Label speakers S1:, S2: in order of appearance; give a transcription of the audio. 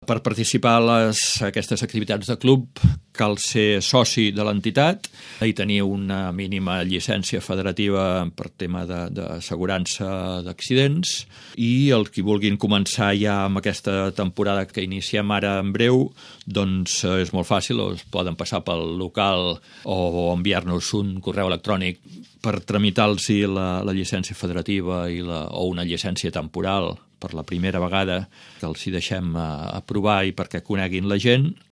S1: Per participar a aquestes activitats de club cal ser soci de l'entitat i tenir una mínima llicència federativa per tema d'assegurança d'accidents, i els qui vulguin començar ja amb aquesta temporada que iniciem ara en breu, doncs és molt fàcil, es poden passar pel local o enviar-nos un correu electrònic per tramitar-los la llicència federativa o una llicència temporal per la primera vegada, que els hi deixem aprovar i perquè coneguin la gent.